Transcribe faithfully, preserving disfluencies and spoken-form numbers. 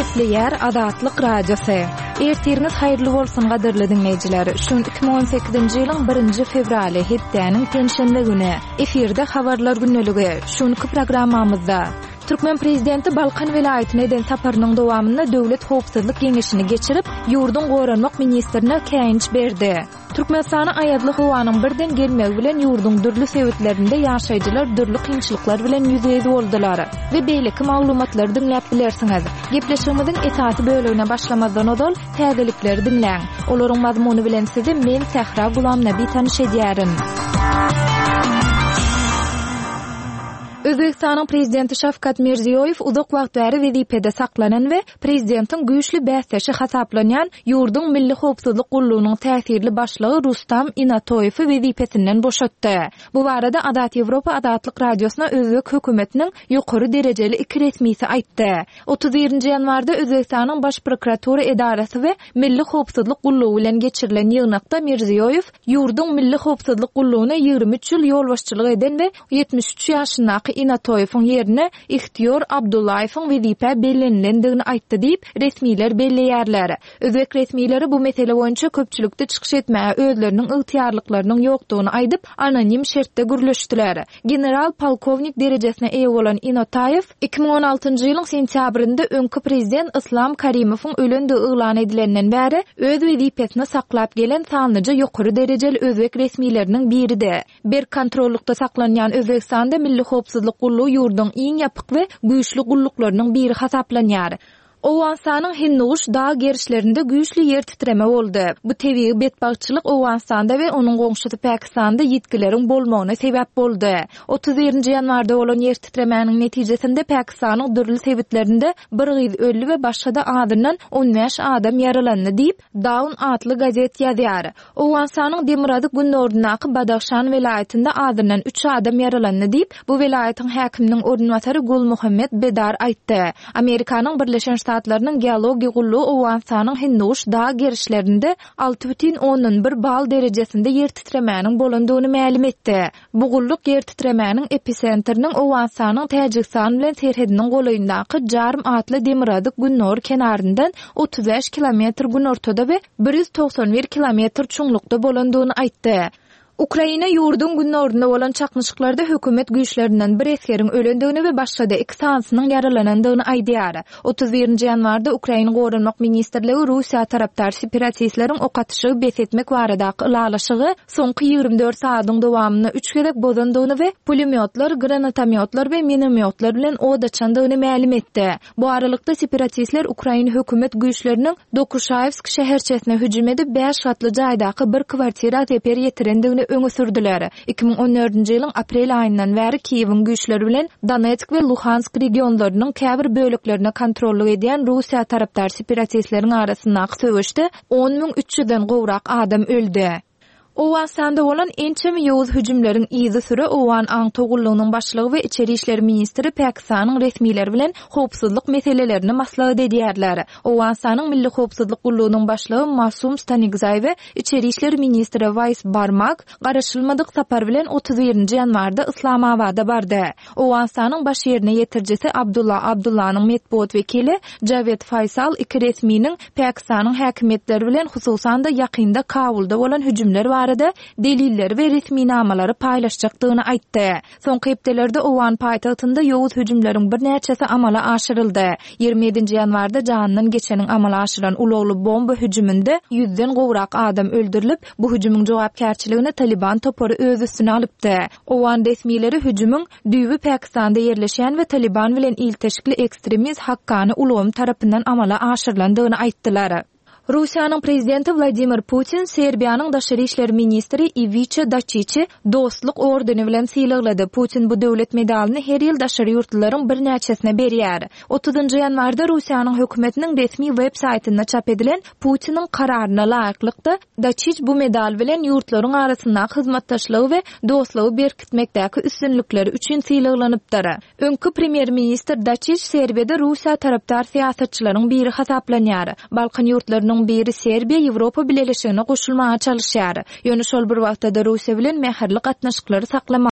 Gepleýär Azatlyk Radiosy. Ertiriňiz haýyrly bolsun gadyrly diňleýjiler. Şu gün iki müň on sekizinji ýylyň birinji fewraly, hepdäniň penşenbe güni. Efirde habarlar gündeligi. Şu günki programmamyzda Türkmen prezidenti Balkan welaýatyna eden saparynyň dowamynda Döwlet howpsuzlyk geňeşini geçirip, ýurduň goranmak ministrine käýinç berdi. Türkmenistana aýazly howanyň birden gelmegi bilen ýurduň dürli sebitlerinde ýaşaýjylar dürli kynçylyklar bilen ýüzbe-ýüz boldular. We beýleki maglumatlary diňläp bilersiňiz. Gepleşigimiziň esasy bölegine başlamazdan ozal täzelikleri diňläň. Olaryň mazmuny bilen sizi men Sähra Gulamnabi tanyş edýärin. Özbegistanyň prezidenti Şawkat Mirziýoýew uzak wagt bäri wezipede saklanan we prezidentiň güýçli bäsdeşi hasaplanýan ýurduň Milli howpsuzlyk gullugynyň täsirli başlygy Rustam Inatoýewi wezipesinden boşatdy. Bu barada Azat Ýewropa Azatlyk Radiosyna özbek hökümetiniň ýokary derejeli iki resmisi aýtdy. Otuz birinji ýanwarda Özbegistanyň Baş prokuratura edarasy we Milli howpsuzlyk gullugy bilen geçirilen ýygnakda Mirziýoýew ýurduň Milli howpsuzlyk gullugyna ýigrimi üç ýyl ýolbaşçylyk eden we ýetmiş üç ýaşyndaky Inatoýewiň ýerine Ihtiýor Abdullaýewiň wezipä bellenilendigini aýtdy diýip, resmiler belleýärler. Özbek resmileri bu mesele boýunça köpçülikde çykyş etmäge özleriniň ygtyýarlyklarynyň ýokdugyny aýdyp, anonim şertde gürleşdiler. General polkownik derejesine eýe bolan Inataýew iki müň on altynjy ýylyň sentýabrynda öňki prezident Islam Karimowyň ölendigi yglan edilenden bäri öz wezipesini saklap gelen sanlyja ýokary derejeli özbek resmileriniň biridi. Berk kontrollukda saklanýan Özbegistanda Milli howpsuzlyk gullugy ýurduň iň ýapyk we güýçli gulluklarynyň biri hasaplanýar. Owganystanyň Hinduguş dag gerişlerinde güýçli ýer titreme boldy. Bu tebigy betbagtçylyk Owganystanda we onuň goňşusy Pakistanda ýitgileriň bolmagyna sebäp boldy. Otuz birinji ýanwarda bolan ýer titremäniň netijesinde Pakistanyň dürli sebitlerinde bir gyz öldi we başga-da azyndan on bäş adam ýaralandy diýip, Dawn atly gazet ýazýar. Owganystanyň demirgazyk günordaky Badahşan welaýatynda azyndan üç adam ýaralandy diýip, bu welaýatyň häkiminiň orunbasary Gul Muhammed Bedar aýtdy. Amerikanyň Birleşen Ştatlarynyň geologiýa gullugy Owganystanyň Hinduguş dag gerişlerinde alty bütin ondan bir bal derejesinde ýer titremäniň bolandygyny mälim etdi. Bu gulluk ýer titremäniň episentriniň Owganystanyň Täjigistan bilen serhediniň golaýyndaky Jarm atly demirgazyk gündogar kenaryndan otuz bäş kilometr günortada we bir ýüz togsan bir kilometr çuňlukda bolandygyny aýtdy. Ukraina ýurduň günorunda bolan çaknyşyklarda hökümet güýçlerinden bir esgeriň ölendigini we başga-da iki sanysynyň ýaralanandygyny aýdýar. Otuz birinji ýanwarda Ukraina Goranmak ministrligi Russiýa tarapdar separatistleriň ok atyşygy bes etmek baradaky ylalaşygy soňky ýigrimi dört saadyň dowamynda üç gezek bozandygyny we pulemyotlar, granatomyotlar we minomyotlar bilen od açandygyny mälim etdi. Bu aralykda separatistler Ukraina hökümet güýçleriniň Dokuşaýewsk şäherçesine hüjüm edip bäş gatly jaýdaky bir kwartira zeper ýetirendigini öňe sürdüler. Iki müň on dördünji ýylyň aprel aýyndan bäri Kiýewiň güýçleri bilen Donetsk we Luhansk regionlarynyň käbir böleklerine kontrollyk edýän Russiýa tarapdar separatistleriň arasyndaky söweşde on müň üç ýüzden gowrak adam öldi. Owganystanda bolan ençeme ýowuz hüjümleriň yzy süre Owgan aňtaw gullugynyň başlygy we içeri işler ministri Pakistanyň resmileri bilen howpsuzlyk meselelerini maslahat edýärler. Owganystanyň Milli howpsuzlyk gullugynyň başlygy Masum Stanikzay we içeri işler ministri Waýs Barmak garaşylmadyk sapar bilen otuz birinji ýanwarda Islamabada bardy. Owganystanyň baş ýerine ýetirijisi Abdullah Abdullanyň metbugat wekili Javed Faysal iki resminiň Pakistanyň häkimiýetleri bilen hususan-da ýakynda Kabulda bolan hüjümler barada delilleri we resminamalary paýlaşjakdygyny aýtdy. Soňky hepdelerde Owgan paýtagtynda ýowuz hüjümleriň birnäçesi amala aşyryldy. Ýigrimi ýedinji ýanwarda janyndan geçeniň amala aşyran ulagly bomba hüjüminde ýüzden gowrak adam öldürilip, bu hüjümiň jogapkärçiligini Taliban topary öz üstüne alypdy. Owgan resmileri hüjümiň düýbi Pakistanda ýerleşen we Taliban bilen ilteşikli ekstremist Hakkany ulgamy tarapyndan amala aşyrylandygyny aýtdylar. Russiýanyň prezidenti Wladimir Putin Serbiýanyň daşary işler ministri Iwiça Daçiçi dostluk ordeni bilen sylaglady. Putin bu döwlet medalyny her ýyl daşary ýurtlylaryň birnäçesine berýär. Otuzynjy ýanwarda Russiýanyň hökümetiniň resmi web saýtynda çap edilen Putiniň kararyna laýyklykda Daçiç bu medal bilen ýurtlaryň arasyndaky hyzmatdaşlygy we dostlugy berkitmekdäki üstünlikleri üçin sylaglanypdyr. Öňki premýer-ministr Daçiç Serbiýada Russiýa tarapdar syýasatçylaryň biri hasaplanýar. Balkan ýurtlarynyň biri Serbiýa Ýewropa Bileleşigine goşulmaga çalışýar. Ýöne şol bir wagtda-da Russiýa bilen mähirli gatnaşyklary saklamaga